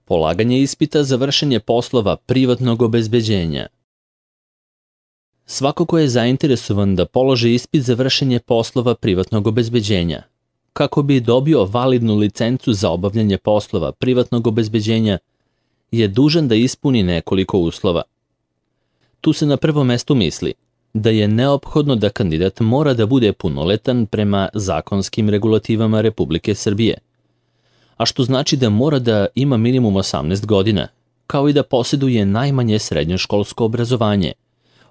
Polaganje ispita za vršenje poslova privatnog obezbeđenja. Svako ko je zainteresovan da položi ispit za vršenje poslova privatnog obezbeđenja, kako bi dobio validnu licencu za obavljanje poslova privatnog obezbeđenja, je dužan da ispuni nekoliko uslova. Tu se na prvom mestu misli da je neophodno da kandidat mora da bude punoletan prema zakonskim regulativama Republike Srbije, a što znači da mora da ima minimum 18 godina, kao i da posjeduje najmanje srednjoškolsko obrazovanje,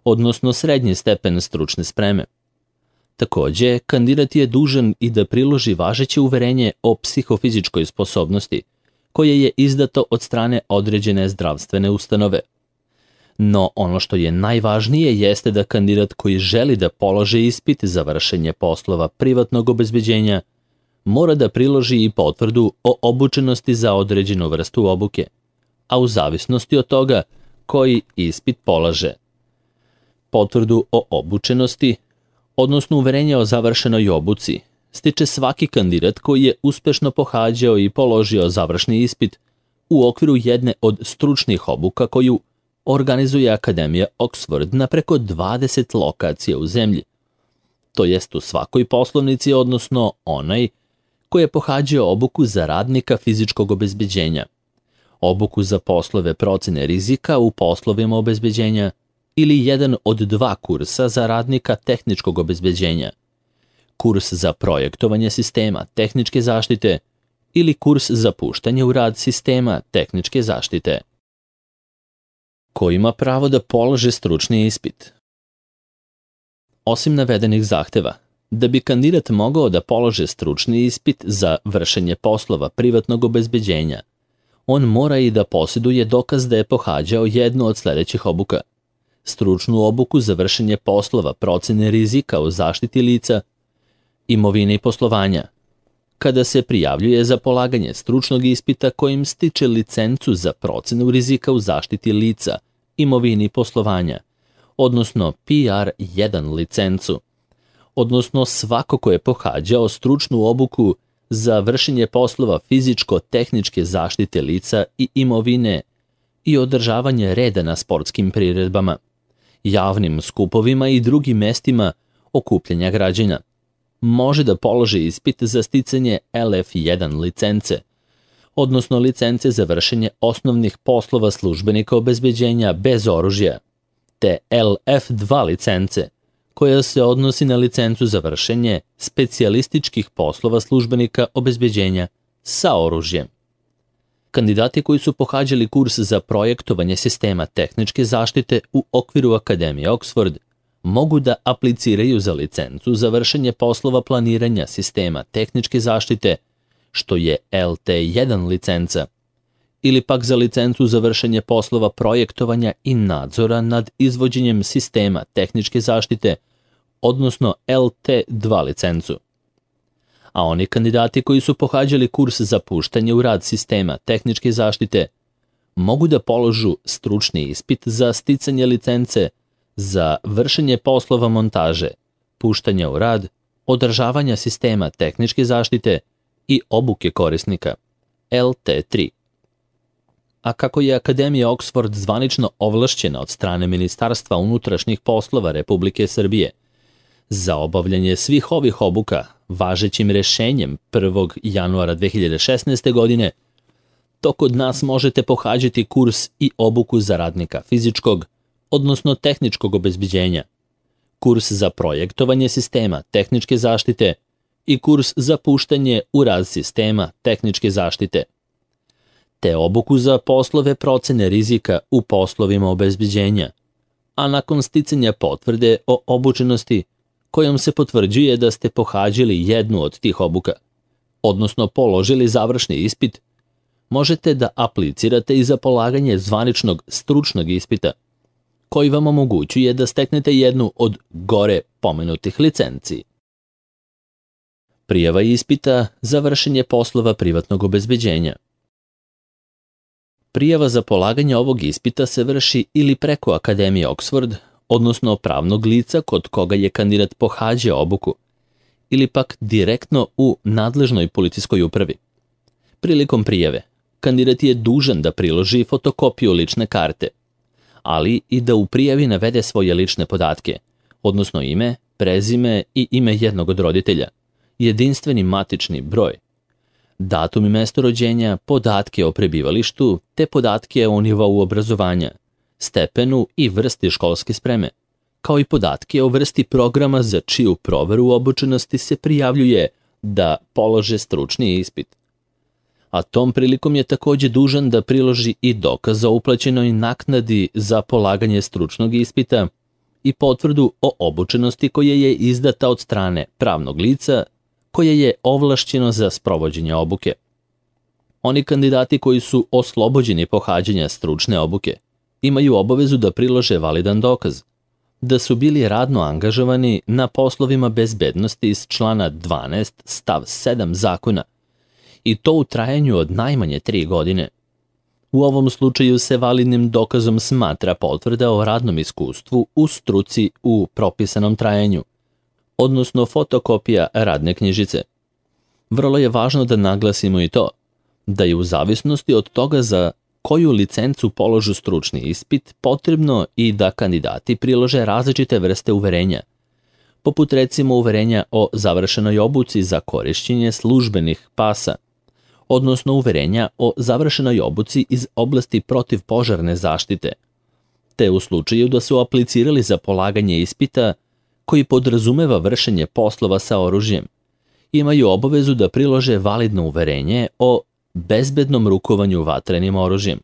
odnosno srednji stepen stručne spreme. Takođe, kandidat je dužan i da priloži važeće uverenje o psihofizičkoj sposobnosti, koje je izdato od strane određene zdravstvene ustanove. No ono što je najvažnije jeste da kandidat koji želi da položi ispit za vršenje poslova privatnog obezbeđenja mora da priloži i potvrdu o obučenosti za određenu vrstu obuke, a u zavisnosti od toga koji ispit polaže. Potvrdu o obučenosti, odnosno uverenje o završenoj obuci, stiče svaki kandidat koji je uspešno pohađao i položio završni ispit u okviru jedne od stručnih obuka koju organizuje Akademija Oxford na preko 20 lokacija u zemlji, to jest u svakoj poslovnici, odnosno onaj koji je pohađao obuku za radnika fizičkog obezbeđenja, obuku za poslove procene rizika u poslovima obezbeđenja ili jedan od 2 kursa za radnika tehničkog obezbeđenja, kurs za projektovanje sistema tehničke zaštite ili kurs za puštanje u rad sistema tehničke zaštite. Ko ima pravo da položi stručni ispit? Osim navedenih zahteva, da bi kandidat mogao da položi stručni ispit za vršenje poslova privatnog obezbeđenja, on mora i da posjeduje dokaz da je pohađao jednu od sledećih obuka: stručnu obuku za vršenje poslova procene rizika u zaštiti lica, imovine i poslovanja, kada se prijavljuje za polaganje stručnog ispita kojim stiče licencu za procenu rizika u zaštiti lica, imovine i poslovanja, odnosno PR1 licencu, odnosno svako ko je pohađao stručnu obuku za vršenje poslova fizičko-tehničke zaštite lica i imovine i održavanje reda na sportskim priredbama, javnim skupovima i drugim mestima okupljanja građana, može da položi ispit za sticanje LF1 licence, odnosno licence za vršenje osnovnih poslova službenika obezbeđenja bez oružja, te LF2 licence, koja se odnosi na licencu za vršenje specijalističkih poslova službenika obezbeđenja sa oružjem. Kandidati koji su pohađali kurs za projektovanje sistema tehničke zaštite u okviru Akademije Oxford mogu da apliciraju za licencu za vršenje poslova planiranja sistema tehničke zaštite, što je LT1 licenca, ili pak za licencu za vršenje poslova projektovanja i nadzora nad izvođenjem sistema tehničke zaštite, odnosno LT2 licencu. A oni kandidati koji su pohađali kurs za puštanje u rad sistema tehničke zaštite mogu da položu stručni ispit za sticanje licence za vršenje poslova montaže, puštanja u rad, održavanja sistema tehničke zaštite i obuke korisnika, LT3. A kako je Akademija Oxford zvanično ovlašćena od strane Ministarstva unutrašnjih poslova Republike Srbije za obavljanje svih ovih obuka važećim rešenjem 1. januara 2016. godine, to kod nas možete pohađati kurs i obuku za radnika fizičkog, odnosno tehničkog obezbeđenja, kurs za projektovanje sistema tehničke zaštite i kurs za puštanje u rad sistema tehničke zaštite, te obuku za poslove procene rizika u poslovima obezbeđenja, a nakon sticanja potvrde o obučenosti kojom se potvrđuje da ste pohađali jednu od tih obuka, odnosno položili završni ispit, možete da aplicirate i za polaganje zvaničnog stručnog ispita, koji vam omogućuje da steknete jednu od gore pomenutih licenci. Prijava ispita za vršenje poslova privatnog obezbeđenja. Prijava za polaganje ovog ispita se vrši ili preko Akademije Oxford, odnosno pravnog lica kod koga je kandidat pohađao obuku, ili pak direktno u nadležnoj policijskoj upravi. Prilikom prijave, kandidat je dužan da priloži fotokopiju lične karte, ali i da u prijavi navede svoje lične podatke, odnosno ime, prezime i ime jednog od roditelja, jedinstveni matični broj, datum i mesto rođenja, podatke o prebivalištu te podatke o nivou obrazovanja, stepenu i vrsti školske spreme, kao i podatke o vrsti programa za čiju proveru obučenosti se prijavljuje da polože stručni ispit. A tom prilikom je takođe dužan da priloži i dokaz o uplaćenoj naknadi za polaganje stručnog ispita i potvrdu o obučenosti koja je izdata od strane pravnog lica koje je ovlašćeno za sprovođenje obuke. Oni kandidati koji su oslobođeni pohađanja stručne obuke imaju obavezu da prilože validan dokaz da su bili radno angažovani na poslovima bezbednosti iz člana 12 stav 7 zakona i to u trajanju od najmanje 3 godine. U ovom slučaju se validnim dokazom smatra potvrda o radnom iskustvu u struci u propisanom trajanju, odnosno fotokopija radne knjižice. Vrlo je važno da naglasimo i to, da je u zavisnosti od toga za koju licencu položu stručni ispit potrebno i da kandidati prilože različite vrste uverenja, poput recimo uverenja o završenoj obuci za korišćenje službenih pasa, odnosno uverenja o završenoj obuci iz oblasti protivpožarne zaštite, te u slučaju da su aplicirali za polaganje ispita koji podrazumeva vršenje poslova sa oružjem, imaju obavezu da prilože validno uverenje o bezbednom rukovanju vatrenim oružjem.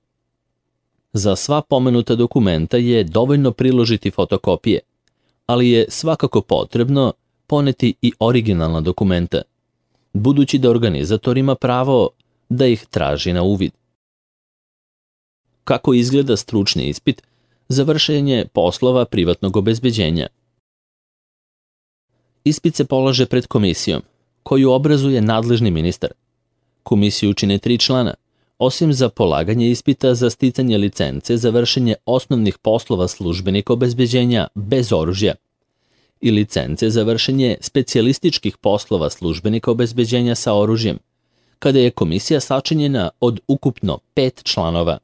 Za sva pomenuta dokumenta je dovoljno priložiti fotokopije, ali je svakako potrebno poneti i originalna dokumenta, budući da organizator ima pravo da ih traži na uvid. Kako izgleda stručni ispit za vršenje poslova privatnog obezbeđenja? Ispit se polaže pred komisijom, koju obrazuje nadležni ministar. Komisiju čine 3 člana, osim za polaganje ispita za sticanje licence za vršenje osnovnih poslova službenika obezbeđenja bez oružja i licence za vršenje specijalističkih poslova službenika obezbeđenja sa oružjem, kada je komisija sačinjena od ukupno 5 članova.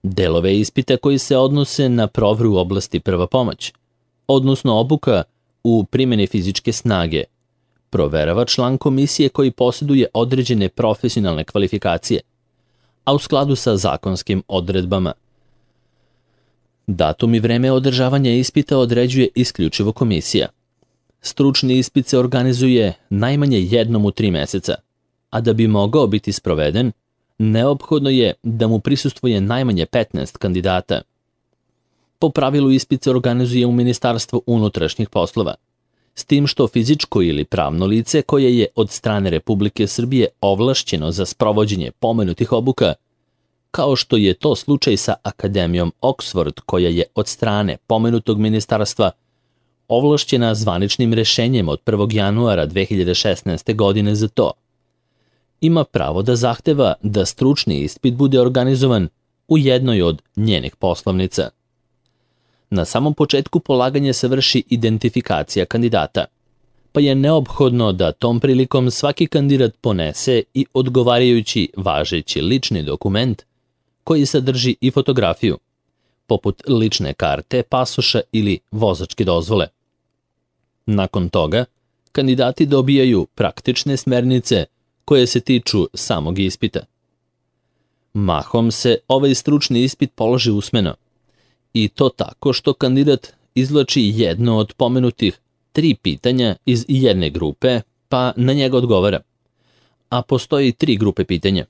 Delove ispita koji se odnose na proveru u oblasti prva pomoć, odnosno obuka u primjeni fizičke snage, proverava član komisije koji posjeduje određene profesionalne kvalifikacije, a u skladu sa zakonskim odredbama. Datum i vreme održavanja ispita određuje isključivo komisija. Stručni ispit se organizuje najmanje jednom u 3 meseca, a da bi mogao biti sproveden, neophodno je da mu prisustvuje najmanje 15 kandidata. Po pravilu ispit se organizuje u Ministarstvu unutrašnjih poslova, s tim što fizičko ili pravno lice koje je od strane Republike Srbije ovlašćeno za sprovođenje pomenutih obuka, kao što je to slučaj sa Akademijom Oxford koja je od strane pomenutog ministarstva ovlašćena zvaničnim rešenjem od 1. januara 2016. godine za to, ima pravo da zahteva da stručni ispit bude organizovan u jednoj od njenih poslovnica. Na samom početku polaganja se vrši identifikacija kandidata, pa je neophodno da tom prilikom svaki kandidat ponese i odgovarajući važeći lični dokument koji sadrži i fotografiju, poput lične karte, pasoša ili vozačke dozvole. Nakon toga, kandidati dobijaju praktične smernice koje se tiču samog ispita. Mahom se ovaj stručni ispit položi usmeno, i to tako što kandidat izvlači jedno od pomenutih 3 pitanja iz jedne grupe, pa na njega odgovara. A postoji 3 grupe pitanja,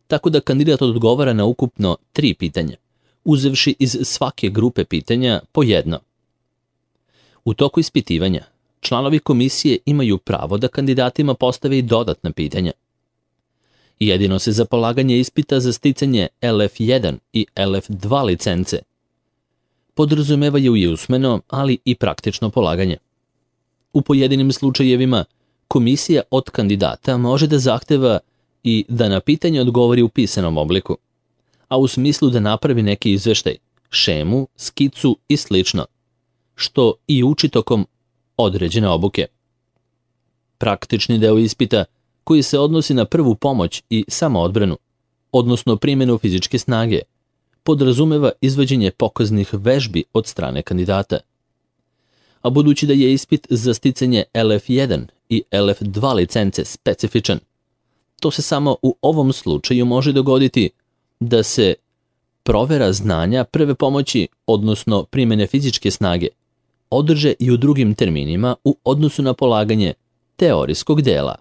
tako da kandidat odgovara na ukupno 3 pitanja, uzevši iz svake grupe pitanja po jedno. U toku ispitivanja, članovi komisije imaju pravo da kandidatima postave i dodatna pitanja. Jedino se za polaganje ispita za sticanje LF1 i LF2 licence podrazumevaju i usmeno, ali i praktično polaganje. U pojedinim slučajevima, komisija od kandidata može da zahteva i da na pitanje odgovori u pisanom obliku, a u smislu da napravi neki izveštaj, šemu, skicu i slično, što i uči tokom određene obuke. Praktični deo ispita, koji se odnosi na prvu pomoć i samoodbranu, odnosno primjenu fizičke snage, podrazumeva izvođenje pokaznih vežbi od strane kandidata. A budući da je ispit za sticanje LF1 i LF2 licence specifičan, to se samo u ovom slučaju može dogoditi da se provera znanja prve pomoći, odnosno primjene fizičke snage, održe i u drugim terminima u odnosu na polaganje teorijskog dela.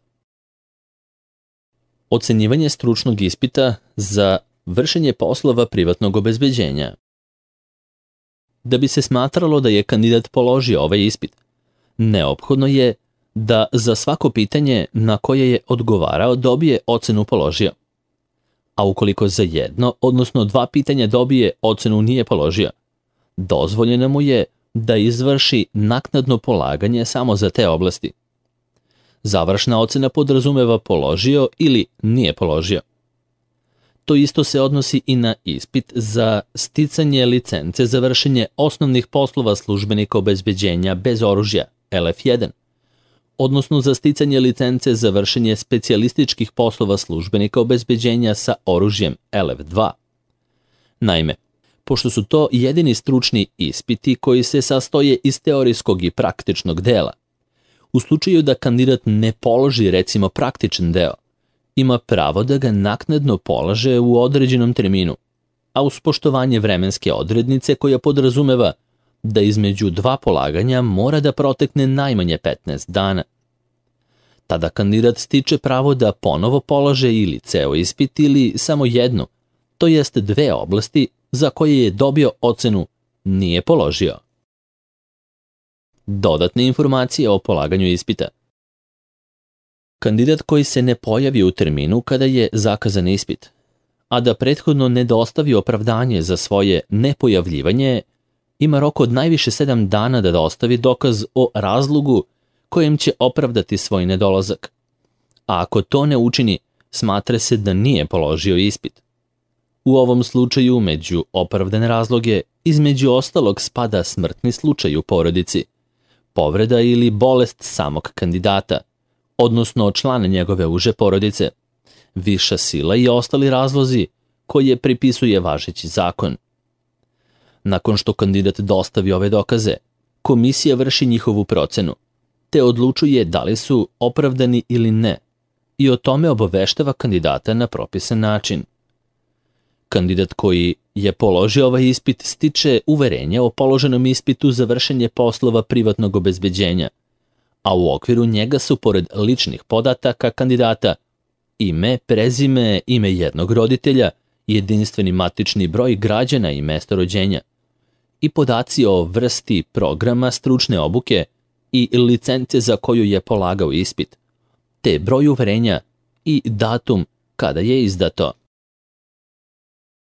Ocenjivanje stručnog ispita za vršenje poslova privatnog obezbeđenja. Da bi se smatralo da je kandidat položio ovaj ispit, neophodno je da za svako pitanje na koje je odgovarao dobije ocenu položio. A ukoliko za jedno, odnosno 2 pitanja dobije ocenu nije položio, dozvoljeno mu je da izvrši naknadno polaganje samo za te oblasti. Završna ocena podrazumeva položio ili nije položio. To isto se odnosi i na ispit za sticanje licence za vršenje osnovnih poslova službenika obezbeđenja bez oružja, LF1, odnosno za sticanje licence za vršenje specijalističkih poslova službenika obezbeđenja sa oružjem, LF2. Naime, pošto su to jedini stručni ispiti koji se sastoje iz teorijskog i praktičnog dela, u slučaju da kandidat ne položi recimo praktičan deo, ima pravo da ga naknadno polaže u određenom terminu, a uz poštovanje vremenske odrednice koja podrazumeva da između 2 polaganja mora da protekne najmanje 15 dana. Tada kandidat stiče pravo da ponovo polaže ili ceo ispit ili samo jednu, to jest 2 oblasti za koje je dobio ocenu nije položio. Dodatne informacije o polaganju ispita. Kandidat koji se ne pojavi u terminu kada je zakazan ispit, a da prethodno ne dostavi opravdanje za svoje nepojavljivanje, ima rok od najviše 7 dana da dostavi dokaz o razlogu kojem će opravdati svoj nedolazak. A ako to ne učini, smatra se da nije položio ispit. U ovom slučaju među opravdane razloge između ostalog spada smrtni slučaj u porodici, povreda ili bolest samog kandidata, odnosno člana njegove uže porodice, viša sila i ostali razlozi koje pripisuje važeći zakon. Nakon što kandidat dostavi ove dokaze, komisija vrši njihovu procenu, te odlučuje da li su opravdani ili ne i o tome obaveštava kandidata na propisan način. Kandidat koji je položio ovaj ispit stiče uverenje o položenom ispitu za vršenje poslova privatnog obezbeđenja, a u okviru njega su pored ličnih podataka kandidata ime, prezime, ime jednog roditelja, jedinstveni matični broj građana i mesto rođenja i podaci o vrsti programa stručne obuke i licence za koju je polagao ispit, te broj uverenja i datum kada je izdato.